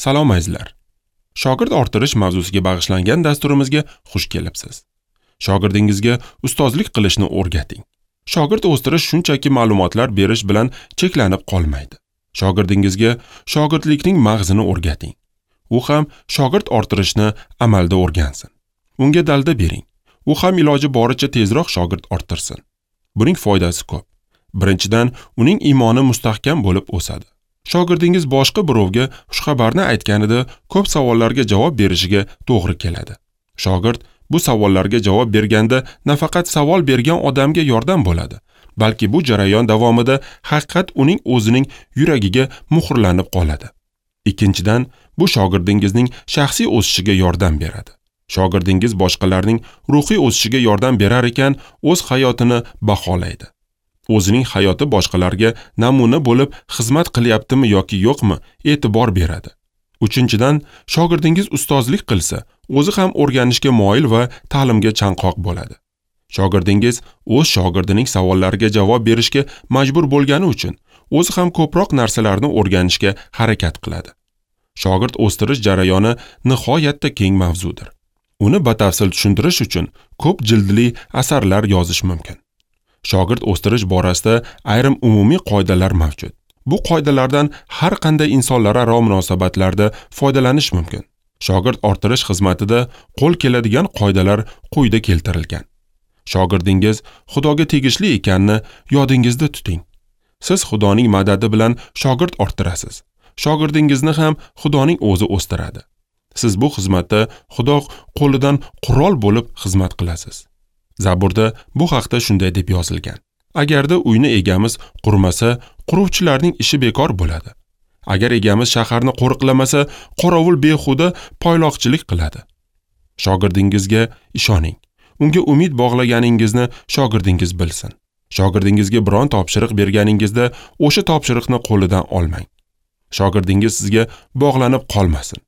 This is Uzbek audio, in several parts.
Salom azizlar. Shogird orttirish mavzusiga bag'ishlangan dasturimizga xush kelibsiz. Shogirdingizga ustozlik qilishni o'rgating. Shogird o'stirish shunchaki ma'lumotlar berish bilan cheklanib qolmaydi. Shogirdingizga shogirdlikning mag'zini o'rgating. U ham shogird orttirishni amalda o'rgansin. Unga dalda bering. U ham iloji boricha tezroq shogird orttirsin. Buning foydasi ko'p. Birinchidan, uning iymoni mustahkam bo'lib o'sadi. Shogirdingiz boshqa birovga xushxabarni aytganida ko'p savollarga javob berishiga to'g'ri keladi. Shogird bu savollarga javob berganda nafaqat savol bergan odamga yordam bo'ladi, balki bu jarayon davomida haqiqat uning o'zining yuragiga muhrlanib qoladi. Ikkinchidan, bu shogirdingizning shaxsiy o'sishiga yordam beradi. Shogirdingiz boshqalarning ruhiy o'sishiga yordam berar ekan, o'z hayotini baholaydi. O'zining hayoti boshqalarga namuna bo'lib xizmat qilyaptimi yoki yo'qmi, e'tibor beradi. Uchinchidan, shogirdingiz ustozlik qilsa, o'zi ham o'rganishga moyil va ta'limga chanqoq bo'ladi. Shogirdingiz o'z shogirdining savollariga javob berishga majbur bo'lgani uchun o'zi ham ko'proq narsalarni o'rganishga harakat qiladi. Shogird o'stirish jarayoni nihoyatda keng mavzudir. Uni batafsil tushuntirish uchun ko'p jildli asarlar yozish mumkin. Shogird o'stirish borasida ayrim umumiy qoidalar mavjud. Bu qoidalardan har qanday insonlararo munosabatlarda foydalanish mumkin. Shogird orttirish xizmatida qo'l keladigan qoidalar quyida keltirilgan. Shogirdingiz Xudoga tegishli ekanini yodingizda tuting. Siz Xudoning madadi bilan shogird orttirasiz. Shogirdingizni ham Xudoning o'zi o'stiradi. Siz bu xizmatda Xudo qo'lidan qurol bo'lib xizmat qilasiz. Zaburda bu haqda shunday deb yozilgan: Agarda uyni egamiz qurmasa, quruvchilarning ishi bekor bo'ladi. Agar egamiz shaharni qo'riqlamasa, qorovul behuda poyloqchilik qiladi. Shogirdingizga ishoning. Unga umid bog'laganingizni shogirdingiz bilsin. Shogirdingizga biron topshiriq berganingizda o'sha topshiriqni qo'lidan olmang. Shogirdingiz sizga bog'lanib qolmasin.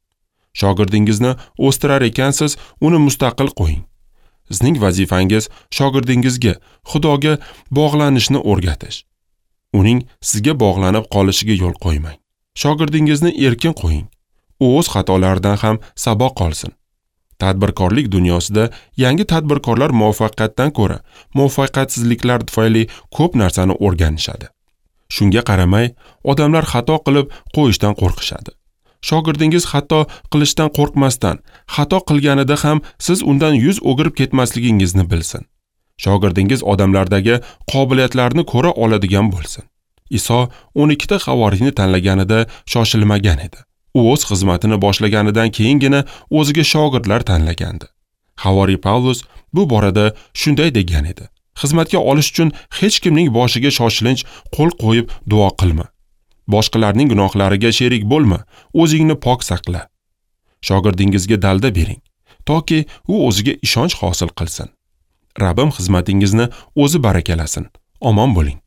Shogirdingizni o'stirar ekansiz, uni mustaqil qo'ying. Sizning vazifangiz shogirdingizga Xudoga bog'lanishni o'rgatish. Uning sizga bog'lanib qolishiga yo'l qo'ymang. Shogirdingizni erkin qo'ying. U o'z xatolaridan ham saboq olsin. Tadbirkorlik dunyosida yangi tadbirkorlar muvaffaqiyatdan ko'ra muvaffaqiyatsizliklar tufayli ko'p narsani o'rganishadi. Shunga qaramay, odamlar xato qilib qo'yishdan qo'rqishadi. Shogirdingiz xato qilishdan qo'rqmasdan, xato qilganida ham siz undan yuz o'girib ketmasligingizni bilsin. Shogirdingiz odamlardagi qobiliyatlarni ko'ra oladigan bo'lsin. Iso 12 ta havoriyni tanlaganida shoshilmagan edi. U o'z xizmatini boshlaganidan keyingina o'ziga shogirdlar tanlagandi. Havoriy Pavlus bu borada shunday degan edi: Xizmatga olish uchun hech kimning boshiga shoshilinch qo'l qo'yib duo qilma. Boshqalarning gunohlariga sherik bo'lma, o'zingni pok saqla. Shogirdingizga dalda bering, toki u o'ziga ishonch hosil qilsin. Rabbim xizmatingizni o'zi barakalasin. Omon bo'ling.